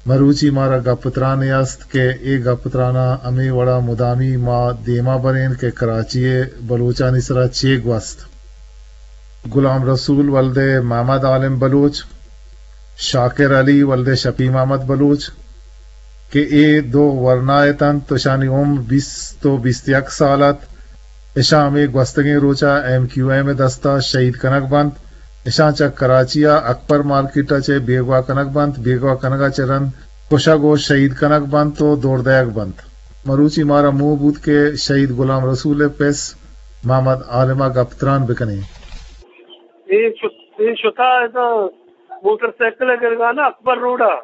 مروچی مارا گپ ترانے است کہ اے گپ تراناں ہمے وڑا مدامی ما دیما برین کہ کراچی ء بلوچانی سرا چے گوست۔ غلام رسول ولد محمد عالم بلوچ، شاکر علی ولد شفیع محمد بلوچ کہ اے دو ورنا اتنت، اشانی عمر بیست و بیست یک سال ات۔ اشاں ہمے گوستگیں روچا ایم کیو ایم ء دستا شہید کنگ بنت۔ اشاں چہ کراچی ء اکبر مارکیٹ ء چہ بیگواہ کنگ بنت، بیگواہ کنگ ء چہ رند کشگ و شہید کنگ بنت و دور دئیگ بنت۔ مروچی مارا موہ بوت کہ شہید غلام رسول ء پس محمد عالم ء گپ تران بکنیں۔ اے شت-، اے شتا ادا موٹر سائیکل ء گرگانا اکبر روڈ ء۔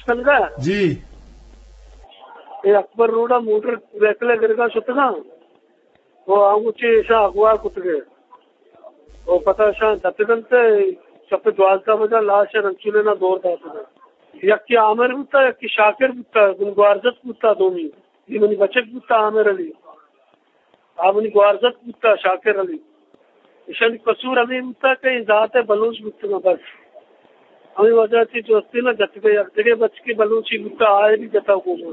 سنگا؟ جی۔ اے اکبر روڈ ء موٹر سائیکل ء گرگا شتگاں۔ او آنگو چے ایشاں اغوا کتگے۔ او پتا ایشاں دتگنت، شپ دوازدہ بجا لاش ء رنچولینا دور داتگ۔ یکے عامر بوتا، یکے شاکر بوتا، گوں گوارزت بوتا دومی۔ اے منی بچک بوتا عامر علی۔ آ منی گوارزت بوتا شاکر علی۔ ایشانی قصور ہمے بوتا کہ اے ذات ء بلوچ بوتگاں بس۔ ہمے وجہ چہ جو استے نا جتگے یک دگہ بچکے بلوچی بوتا آئے بھی جتا گوما۔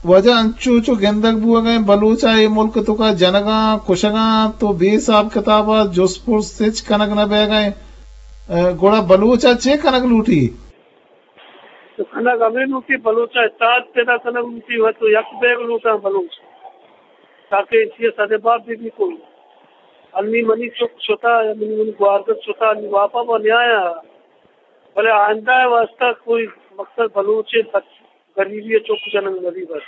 واجہ انچو چو گندگ بوگا ایں بلوچ ء اے ملک توکا جنگاں کشگاں تو بے حساب کتاب ء جست پرس ہچ کنگ نہ بیگا ایں۔ ء گڑا بلوچ ء چے کنگ لوٹی؟ تو کنگ ہمے لوٹی، بلوچ ء اتحاد پیدا کنگ لوٹی، و تو یک بیگ لوٹاں بلوچ، تاکہ ایشی ء سد باب بہ بی کوئی۔ انی منی چک شتا، یا منی، منی گوارزت شتا، انی واپا با نیایا، بلے آئندہ ء واسطہ کوئی مقصد بلوچ ء بچ-، غریبی ء چک جنگ نہ بی بس۔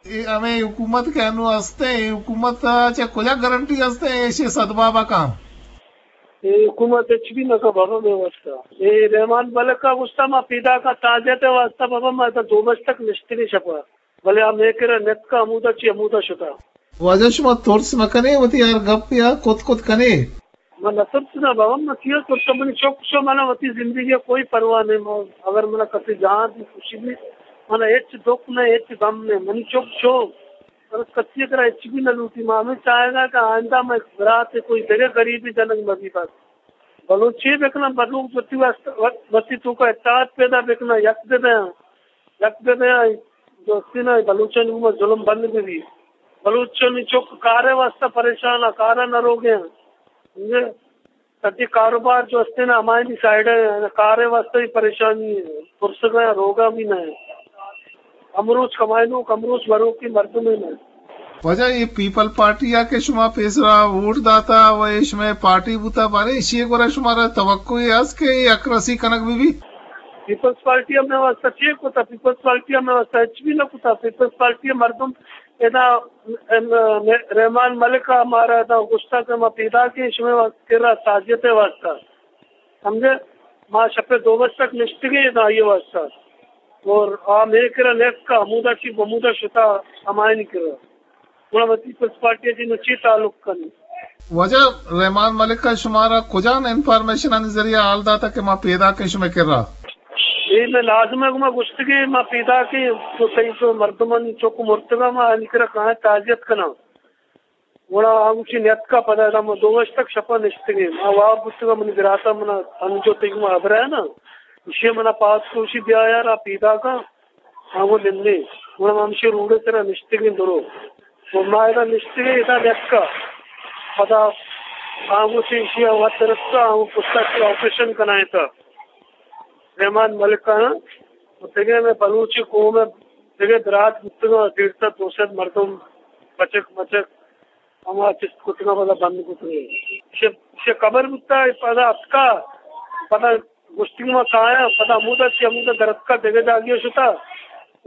اے ہمے حکومت کہ انو ہستیں، اے حکومت ء چہ کجا گارنٹی ہستیں ایشی سدباب ء کاں؟ اے حکومت ہچ بھی نہ کن بابا مئے واسطہ۔ اے رحمان ملک ء گوشتا ما پیداک ء تعزیت ء واسطہ بابا ما ادا دو بج تک نشتگیں شپ ء، بلے آ مئے کرا نیتکا ہمودا چی ہمودا شتا۔ واجہ شما ترس مہ کنے وتی ہر گپ ء کت کت کنے؟ من نہ ترسنا بابا، من کیا ترساں؟ منی چک شو، منا وتی زندگی ء کوئی پرواہ نہیں۔ من، اگر منا کسی جان دی خوشی بھی، منا ہچ دکھ نہیں، ہچ غم نہیں۔ منی چک شو، بس کسی ء کرا ہچ بھی نہ لوٹی۔ ما ہمے چاہگا کہ آئندہ مئے برات ء کوئی دگہ غریبی جنگ مہ بی بس۔ بلوچ چے بکناں؟ بلوچ وتی واسطہ، وتی توکا اتحاد پیدا بکناں، یک بہ بیاں، یک بہ بیاں، دوستی نہ، بلوچانی گوما ظلم بند بہ بی۔ بلوچانی چک کارے واسطہ پریشان ء، کارا نہ روگے۔ سمجھے؟ سجے کاروبار جو ہستے نا ہمائنی سائیڈ ء، کارے واسطہ ہی پریشانی ہے، پرسگا روگا بھی نہ ہے۔ امروچ کمائنوک، امروچ مروکی مردم ہے نہ۔ واجہ اے پیپل پارٹی ء کہ شما پیسرا ووٹ داتا و اے شمئے پارٹی بوتا، بارے ایشی ء گورا شمارا توقع اے است کہ اے اکرسی کنگ بہ بی؟ پیپلز پارٹی ء مئے واسطہ چے کتا؟ پیپلز پارٹی ء مئے واسطہ ہچ بھی نہ کتا۔ پیپلز پارٹی ء مردم ادا، ام، رحمان ملک ء مارا ادا گوشتا کہ ما پیداک ایں شمئے وا-، کرا تعزیت ء واسطہ۔ سمجھے؟ ما شپ ء دو بج تک نشتگیں ادا آئی ء واسطہ۔ اور آ مئے کرا نیتکا، ہمودا چی ہمودا شتا ہمائنی کرا۔ گڑا وتی پیپلز پارٹی ء چی نو چی تعلق کنی؟ واجہ رحمان ملک ء شمارا کجام انفارمیشن آنی ذریعہ حال داتا کہ ما پیداک ایں شمئے کرا؟ اے مئے لازم ہے، گما گوشتگی ما پیداک ایں، تو تئی تو مردمانی چک مرتگا، ما آنی کرا کاں تعزیت کناں۔ گڑا آ گوشی نیتکا، پدا ادا ما دو بج تک شپا نشتگیں۔ ما واب بوتگا، منی براتا منا انجو تئی گما ہبرا ہے نا، ایشی منا پاس کوشی بیا یار، آ پیداکاں۔ آ گوں نندیں۔ گڑا ما ہمشی روڈ ء سرا نشتگیں درو۔ و ما ادا نشتگیں، ادا نیتکا۔ پدا آ گوں چہ ایشی ء وت رستا، آ گوں پشتا چہ آپریشن کنائینتا۔ رحمان ملک ء و دگہ مئے بلوچی قوم ء دگہ برات بوتگاں، ڈیڑھ سد دو سد مردم، بچک مچک، ہما چست کتگاں، پدا بند کتگیں۔ چہ، چہ قبر بوتا، پدا اتکا، پدا گوشتی کہ ما کایاں، پدا ہمودا چہ ہمودا درتکا دگہ جاگہے شتا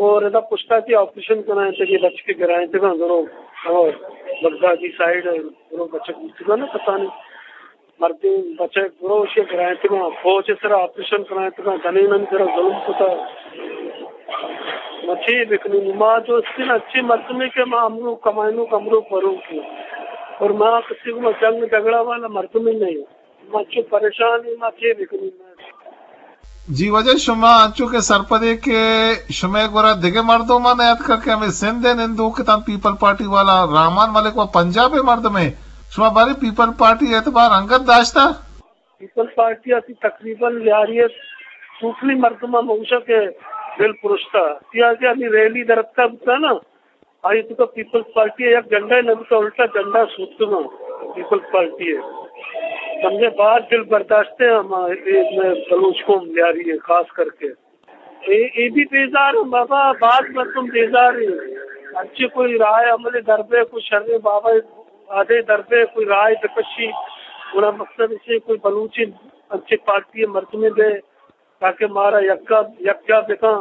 اور ادا پشتا چہ آپریشن کنائینتگی، بچکے گرائینتگاں درو، اور بغدادی سائیڈ درو بچک بوتگاں نا کسانی مردین بچک درو اشی گرائینتگاں، فوج سرا آپریشن کنائینتگاں، جنینانی سرا ظلم کتا۔ ما چے بکنیں؟ ما جو استیں اچیں مردمے کہ ما امرو کمائینوک امرو پروکی اور ما کسی گوما جنگ جھگڑا والا مردمے نہیں۔ ما چو پریشان ایں، ما چے بکنیں؟ جی واجہ، شما انچو کہ سرپدے کہ شمئے گورا دگہ مردم ہم نیاتکا کہ ہمے سندھ ء نندوک اتاں پیپل پارٹی والا، رحمان ملک و پنجاب ء مردمے، شما بارے پیپل پارٹی اعتبار انگت داشتا؟ پیپل پارٹی ء تقریباً یاری ء ٹوٹلی مردماں مگوشاں کہ دل پرشتا، سیاسی ہمیں ریلی درتکا بوتا نا، آئی تو پیپلز پارٹی یک جھنڈا نہ بوتا، الٹا جھنڈا سوتگا پیپلز پارٹی ہے۔ سمجھے، باز دل برداشت ہے ہم، اے، اے، بلوچ قوم لیاری ہے خاص کر کے۔ اے، اے بھی بیزار ہیں بابا، باز مردم بیزار ہیں۔ اچھے کوئی رائے عمل دربے، کوئی شر بابا آدے دربے، کوئی رائے بکشی۔ گڑا مقصد اسے کوئی بلوچی اچھے پارٹی مردمے دے تاکہ مارا یکا، یکجا بکاں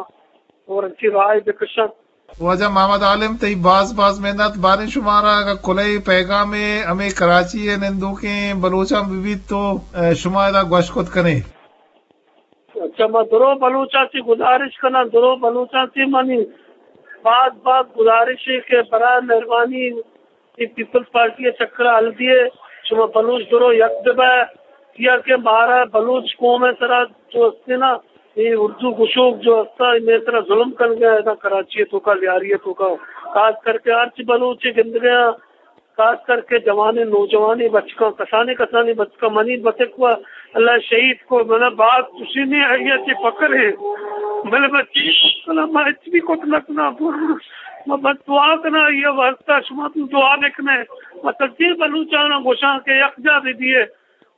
اور اچھی رائے بکشاں۔ واجہ محمد عالم، تئی باز باز محنت۔ باریں شمارا اگاں کلہے پیغامے ہمے کراچی ء نندوکیں بلوچاں بہ بیت تو، اے، شما ادا گوش کت کنے۔ اچھا، ما درو بلوچاں چی گزارش کناں، درو بلوچاں چی منی باز باز گزارش ہے کہ برائے مہربانی اے پیپلز پارٹی ء چکر ء حل دیے، شما بلوچ درو یک بہ بئے، چیا کہ مارا بلوچ قوم ء سرا جو ہستے نا، اے اردو گشوک جو ہستا، اے مئے سرا ظلم کنگ ء ادا کراچی ء توکا، لیاری ء توکا، خاص کر کے ہرچ بلوچ ء گندگ ء، خاص کر کے جوانیں نوجوانیں بچکاں، کسانیں کسانیں بچکاں، منی بچک و اللہ شہید کو، منا باز خوشی نہیں آئی ہے کہ فخر ہے، بلے بچی ما ہچ بھی کت نہ کناں، ما بس دعا کناں، یہ واسطہ شما تو دعا بکنے۔ ما سجیں بلوچاناں گوشاں کہ یکجا بہ بیئے،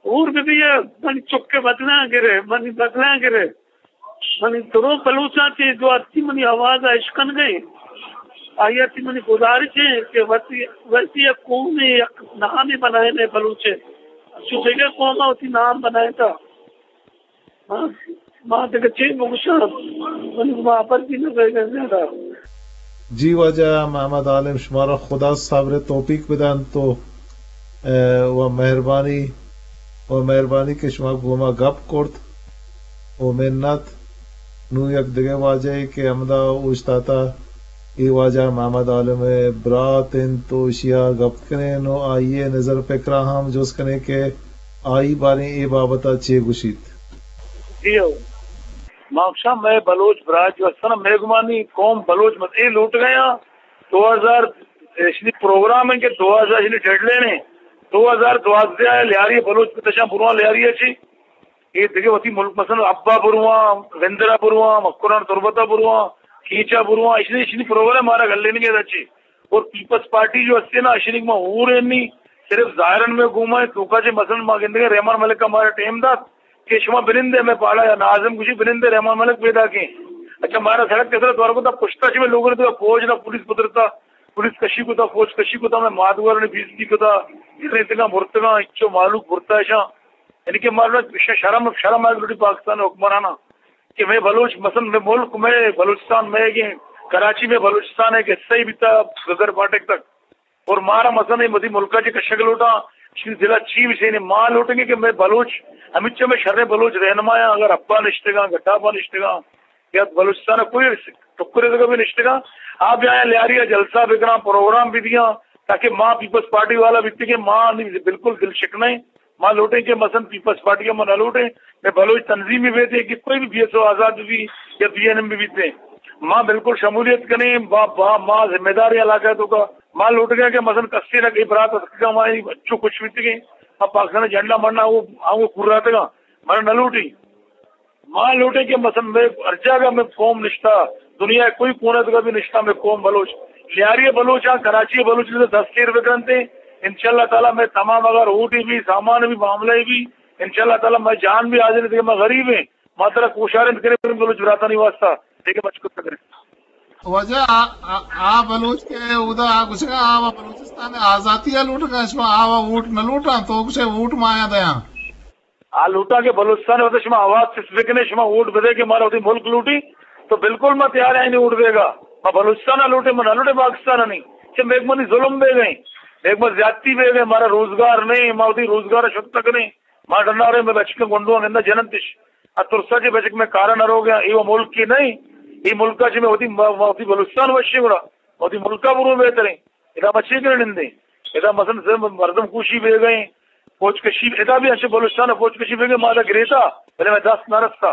ہور بہ بیئے، منی چک ء بدلاں گرے، منی بدلاں گرے۔ منی درو بلوچاں چہ جو ہستی منی آواز ء اشکنگ ء، آئی ء چہ منی گزارش ہے کہ وتی، وتی یک قومے، یک نامے بنائینے بلوچ ء۔ چو دگہ قوم ء وتی نام بنائینتا۔ ما، ما دگہ چے بگوشاں؟ منی گما ہبر بھی نہ رہ گئے زیادہ۔ جی واجہ محمد عالم، شمارا خدا صبر توفیق بدنت تو، اے، و مہربانی، و مہربانی کہ شما گوما گپ کرت و منت۔ نوں یک دگہ واجہ کہ ہمدا اوشتاتا، اے واجہ محمد عالم ء برات انت و اشیا گپ کنیں و آئی ء نظر فکرا ہم جست کنیں کہ آئی باریں اے بابت ء چے گوشیت؟ جی ہو۔ ما گوشاں مئے بلوچ براج جو ہستن، مئے گمانی قوم بلوچ مت اے لوٹ گئے ہیں۔ دو ہزار اشنی پروگرام ہیں کہ دو ہزار اشنی ڈیڈ لائن ہیں۔ دو ہزار دوازدہ ہے، لیاری بلوچ بتشاں برواں لیاری ہے چی۔ اے دگہ وتی ملک مثلاً ابا برواں، وندرا برواں، مکران تربتا برواں، کیچا برواں، اشنی، اشنی پروگرام مارا گلینگے دا چی۔ اور پیپلز پارٹی جو ہستے نا، اشنی ما ہور نی، صرف ظاہرن میں گوما ہے، توکا چے مثلاً ما گندگے رحمان ملک کا مارا ٹائم دات، کہ شما بنندے میں پاڑا یا ناظم گوشی بنندے رحمان ملک پیدا کے۔ اچھا، مارا سڑک کے سر دوار کو تا پشتا چے میں لوگوں نے تو فوج نہ پولیس قدرتا، پولیس کشی کو تا، فوج کشی کو تا، میں مادوار نے بیزتی کو تا، اتنے اتنا برتگا، اچو مالوک برتا شاں۔ یعنی کہ مارا شرم، شرم آئے لوٹی پاکستان حکمرانا کہ میں بلوچ، مثلاً میں ملک میں بلوچستان میں کہ کراچی میں بلوچستان ہے کہ صحیح بیتا گگر پاٹک تک۔ اور مارا مثلاً اے مدی ملکا چے کشگ لوٹاں، شی ضلع چی بھی سینے ما لوٹیں گے کہ میں بلوچ، ہمیچہ میں شریں بلوچ رہنمایاں، اگر ابا نشتگاں، گٹاپا نشتگاں، یا بلوچستان ء کوئی ٹکرے دگہ بھی نشتگاں، آ بیایاں لیاری ء جلسہ بکناں، پروگرام بھی دیاں، تاکہ ما پیپلز پارٹی والا بیتگیں، ما نی بالکل دل شکنیں۔ ما لوٹیں کہ مثلاً پیپلز پارٹی ء ما نہ لوٹیں، میں بلوچ تنظیم بھی بیتے کہ کوئی بھی بی ایس او آزاد بھی یا بی این ایم بھی بیتے، ما بالکل شمولیت کنیں، با، با، ما ذمہ دار ہیں علاقہ تو کا۔ ما لوٹگیں کہ مثلاً کسے نہ کہ برات اسکا ما اچو خوش بیتگیں، ما پاکستان جھنڈا مرنا وہ، ہم وہ کراتگا، مارا نہ لوٹی۔ ما لوٹیں کہ مثلاً میں ہر جگہ میں قوم نشتا، دنیا ء کوئی کونے تک بھی نشتا میں قوم بلوچ۔ لیاری بلوچ آں، کراچی بلوچ نے دست ایر بکنتے۔ انشاءاللہ تعالی میں تمام اگر اوٹی بھی، سامان بھی، معاملہ بھی، انشاءاللہ تعالی میں جان بھی حاضر ہے کہ میں غریب ہیں، ما ترا کوشارند کریں بلوچ براتانی واسطہ، دیکھے بچ کو کریں۔ واجہ آ، آ، آ بلوچ کے اودا آ گوشگا آ و بلوچستان آزاتی آ لوٹگا، شما آ و ووٹ نہ لوٹاں، تو گوشے ووٹ ما آیا دیاں۔ آ لوٹاں کہ بلوچستان ء وت شما آواز چست بکنے، شما ووٹ بدے کہ مارا وتی ملک لوٹی، تو بالکل ما تیار ہیں ووٹ دے گا۔ ما بلوچستان ء لوٹے، ما نہ لوٹے پاکستان ء نہیں۔ کہ میک منی ظلم بے گئے، میک من زیادتی بے گئے، مارا روزگار نہیں، ما وتی روزگار ء شت تک نہیں۔ ما ڈنا رہے، میں بچکے گنڈو ہم نہ جننتش۔ ا ترسا جے بچک میں کارا نہ رو گیا، اے وہ ملک کی نہیں، اے ملک ء چہ میں وتی، ما وتی بلوچستان وشی گڑا، وتی ملک ء برو بہتریں۔ ادا ما چے کریں نندیں؟ ادا مثلاً صرف مردم کوشی بے گئے، فوج کشی، ادا بھی اچھے بلوچستان فوج کشی بے گئے، ما ادا گریتا، بلے میں دست نہ رستا۔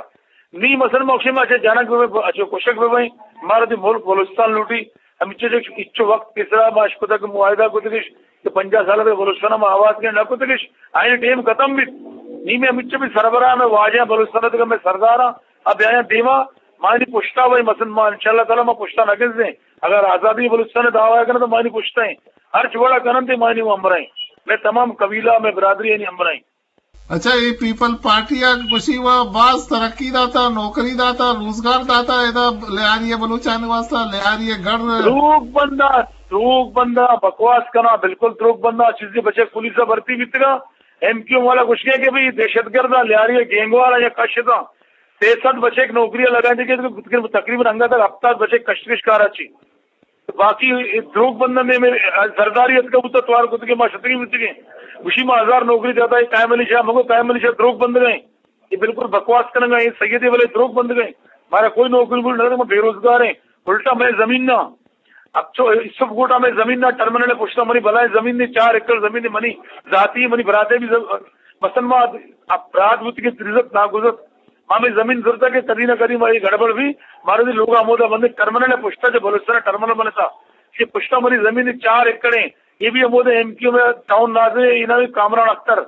نی مثلاً ما اچھے، ما اچھے جنگ بے، اچھے کشک بے بھائی، مارا دی ملک بلوچستان لوٹی، ہم اچھے جو اچھے وقت پیسرا ما اشکتا کہ معاہدہ کو تکش، کہ پنجاہ سال بے بلوچستان ما آباد کے نہ کو تکش، آئین ٹیم ختم بھی۔ نی میں ہم اچھے بھی سربراہ میں واجہ بلوچستان تک میں سرداراں، اب بیایاں دیما، مانی پشتا بھائی، مثلاً ما انشاءاللہ تعالیٰ ما پشتا نہ گزیں۔ اگر آزادی بلوچستان دعویٰ کنن تو مانی پشتا ہیں۔ ہر چوڑا کنن تے مانی وہ ہمراہ ہیں۔ میں تمام قبیلہ، میں برادری یعنی ہمراہ ہیں۔ اچھا، اے پیپل پارٹی ءَ گوشی وا باز ترقی داتا، نوکری داتا، روزگار داتا، ادا لیاری ءِ بلوچانی واسطہ، لیاری ءِ گڑھ۔ دروگ بندہ، دروگ بندہ، بکواس کنا، بالکل دروگ بندہ، چیزی بچک پولیس ءَ بھرتی بیتگا، ایم کیو ایم والا گوشگے کہ بھئی دہشت گرد ءَ لیاری ءِ گینگ والا یا کشتا، سئے سد بچک نوکری ءَ لگائیں کہ تقریباً انگا تک ہفتاد بچک کشت کش کارا چی۔ باقی اے دروگ بندن نے میں زرداری اتکا بوتا توار کتگے ما شتگی بوتگے۔ گوشی ما ہزار نوکری داتا، اے قائم علی شاہ، مگو قائم علی شاہ دروگ بندگ ہیں۔ اے بالکل بکواس کنگا، اے سید ولے دروگ بندگ ہیں۔ مارا کوئی نوکری مل نہ، ما بے روزگار ہیں۔ الٹا میں زمین نہ۔ اب چو سب گوٹا میں زمین نہ، ٹرمینل پشتا منی بلائیں زمین نے، چار ایکڑ زمین نے منی ذاتی، منی براتے بھی زم-، مثلاً ما اب برات بوتگے تریزت ناگزت۔ ما ہمے زمین زرتا کہ کدی نہ کدی ما اے گڑبڑ بھی، مارا دی لوگ ہمودا بندے ٹرمینل پشتا جو بلوچستان ٹرمینل بنتا، کہ پشتا منی زمین چار ایکڑ ہیں، اے بھی ہمودا ایم کیو ایم ٹاؤن نازے، اینا بھی کامران اختر۔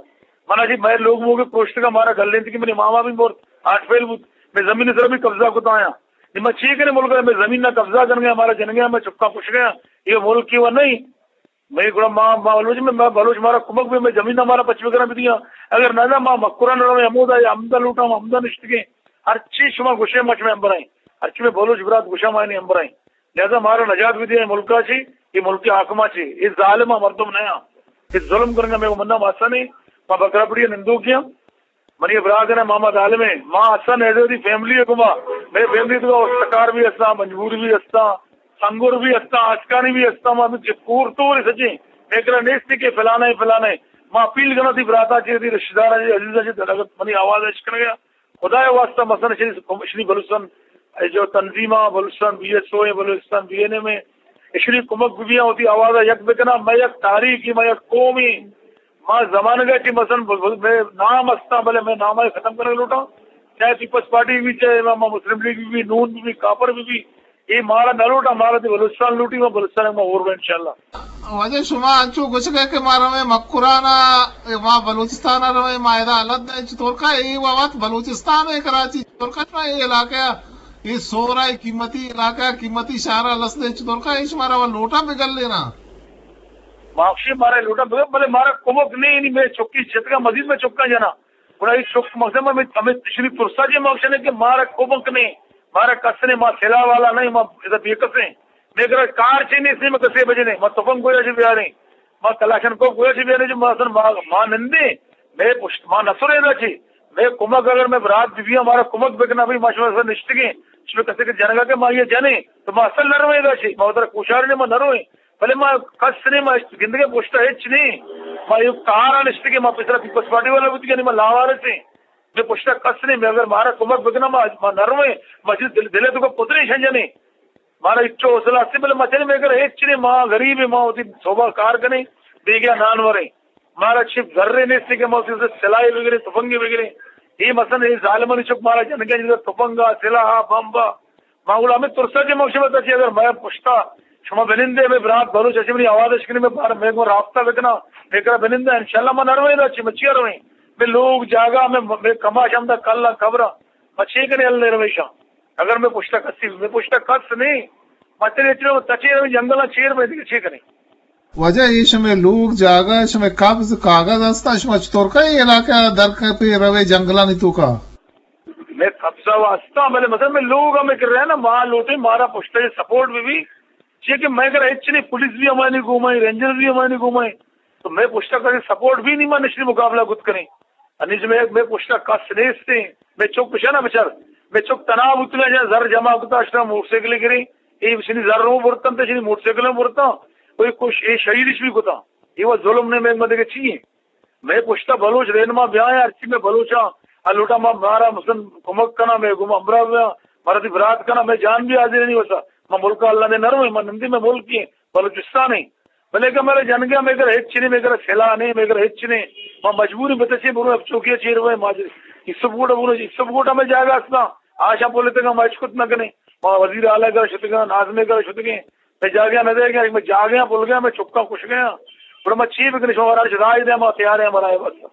منا جی میں لوگ موگے پروشتگا مارا گلینتی کہ منی ماما بھی مورت، آٹھ فیل بوت، میں زمین سر بھی قبضہ کتا آیا۔ نی ما چی کرے ملک میں زمین نہ قبضہ کر گیا، مارا جن گیا، میں چکا پوچھ گیا، یہ ملک کی وہ نہیں۔ مئے گڑا ما، ما بلوچ، میں، ما بلوچ مارا کمک بی، مئے زمین مارا پچ بکنا بدیا۔ اگر نہ، نہ، ما مکران رویں، ہمودا یا ہمدا لوٹاں، ہمدا نشتگیں۔ ہر چی شما گوشے، ما شمئے ہمبراہیں۔ ہر چی مئے بلوچ برات گوشا، ما نی ہمبراہیں۔ لہذا مارا نجات بدیا، اے ملکا چی، اے ملک حاکما چی، اے ظالما مردم نیا۔ اے ظلم کرنگا مئے منا ماسا نہیں، ما بکرا پڑی نندو کیا۔ منی برات نے محمد عالم ہے، ما حسن حیدر دی فیملی ہے گما، مئے فیملی تو سکار بھی ہستا، مجبور بھی ہستا، سنگور بھی ہستا، آسکانی بھی ہستا، ما بھی کور تو سچے، میں کرا نیستی کہ فلانا ہے، فلانا ہے۔ ما اپیل کرنا تھی براتا چی، تھی رشتہ دارا چی، عزیزا چی، اگر منی آواز اچ کر گیا، خدا واسطہ مثلاً شری، شری بلوچستان، اے جو تنظیماں، بلوچستان بی ایس او ہیں، بلوچستان بی این ایم ہیں، اشری کمک بی، وتی آواز یک بکنا، میں یک تاریخی، میں یک قومی، ما زمانگا چی مثلاً ب-، ب-، میں نام ہستا، بلے میں نام ختم کرنے لوٹا، چاہے پیپلز پارٹی بھی، چاہے ما، ما مسلم لیگ بھی، نون بھی، کافر بھی، بھی، اے مارا نہ لوٹا، مارا دی بلوچستان لوٹی، ما بلوچستان ما اور انشاءاللہ۔ واجہ شما انچو گوشگے کہ ما رویں مکران ءَ، ما بلوچستان ءَ رویں، ما ادا حالت دے چطور کا، اے وقت بلوچستان ہے کراچی، چطور کا شما اے علاقہ، اے سورا، اے قیمتی علاقہ، قیمتی شہر ءَ لس دے چطور کا، اے شمارا وہ لوٹا بگل لینا۔ ماکشی مارا لوٹا بگل، بلے مارا کمک نہیں، نہیں، میں چکی جتگا مزید میں چکا جنا۔ گڑا اے چک مقصد میں ہمیں، ہمیں تشریف پرسا جی مقصد ہے کہ مارا کمک نہیں، مارا کس نے، ما سلاح والا نہیں، ما ادا بے کس ہیں۔ میں کرا کار چی نہیں، میں کسے بجے نہیں، ما تفنگ گویا چی بیاریں، ما کلاشن کو گویا چی بیاریں، جو ما اصلاً ما، ما نندے، میں پشت، ما نسرے دا چی، میں کمک اگر میں برات بی بی ہمارا کمک بکنا بھی، ما شما سر نشتگیں، شما کسے کے جنگا کے ما یہ جنے، تو ما اصل نروے دا چی، ما ادھر کوشار نے ما نروے، بلے ما کس نے ما گندگے پشتا ہچ نے۔ ما ایوک تہارا نشتگے، ما پسرا پیپلز پارٹی والا بوتگے، ما لاوارث ہیں۔ میں پشتا کس نے، میں اگر مارا کمک بکنا، ما، ما نرویں، ما چیز دل، دلے تو کو پترے شنجنے۔ مارا اچو حوصلہ ہستے، بلے ما چلے، میں اگر ہچ نے، ما غریب ہیں، ما ہوتی صوبہ کار کنے، بیگیا نان وریں۔ مارا چپ ذرے نیستے کہ ما ہوتی سلائی بگرے، تفنگی بگرے۔ یہ مثلاً یہ ظالمانی چک مارا جنگے، جیسے تفنگا، سلاحا، بمبا، ما گڑا ہمیں ترسا کہ ما شما تچی اگر میں پشتا شما بنندے، میں برات بلوچ اچی منی آواز اش کنی، میں بار میں گو رابطہ بکنا، میں کرا بنندے، انشاءاللہ ما نرویں دا چی، مچیا رویں۔ میں لوگ جاگا، میں، میں کماش ہم دا کلا قبرا، مچے کنے اللہ رویشاں۔ اگر میں پشتا کسی، میں پشتا کس نہیں، مچے اتنے تچے رویں جنگلا چیر میں دیگه چے کنے۔ واجہ، اے شمئے لوگ جاگہ، شمئے قبض کاغذ ہستا، شما چطور کا اے علاقہ در کپے روے جنگلانی توکا؟ میں قبضہ واسطہ، بلے مثلاً میں لوگ ہمیں کر رہے ہیں نا، ما لوٹے مارا پشتا یہ سپورٹ بھی بھی، چیئے کہ میں اگر ہچ نہیں، پولیس بھی ہماری گھومائیں، رینجر بھی ہماری گھومائیں، تو میں پشتا کسی سپورٹ بھی نہیں، ما نشری مقابلہ کت کریں۔ انیس میں، میں پشتا کس نیستے، میں چک پشا نا بچار، میں چک تناب اتنا جا زر جمع کتا، اشنا موٹر سائیکل گریں، اے شنی زر رو برتن تے شنی موٹر سائیکل برتن، کوئی کچھ اے شہیدش بھی کتا، یہ وہ ظلم نے میں مدد چیئے۔ مئے پشتا بلوچ رہنما بیائیں، ہرچی مئے بلوچاں، آ لوٹا ما مارا مثلاً کمک کنا، مئے گوما ہمراہ بیاں، مارا دی برات کنا، مئے جان بھی حاضر نہیں ہوتا۔ ما ملک اللہ نے نہ روئیں، ما نندی مئے ملک ہیں، بلوچستان ہیں۔ بلے کہ مئے جنگیا مئے گھر ہچ نہیں، مئے گھر سلاح نہیں، مئے گھر ہچ نہیں۔ ما مجبور ہیں بتچے برو اب چوکیا چیر ہوئے، ما اس سب گوٹا برو، اس سب گوٹا مئے جاگہ اسنا، آشا پولیتگا ما ہچ کت نہ کنے۔ ما وزیر اعلیٰ گھر شتگا، ناظم گھر شتگے، مئے جاگہ نہ دے گیا، مئے جاگہ بھل گیا، مئے چکا کش گیا۔ گڑا ما چی بکنی، شما ہمارا راہ دے، ما تیار ہیں ہمارا ہے بس۔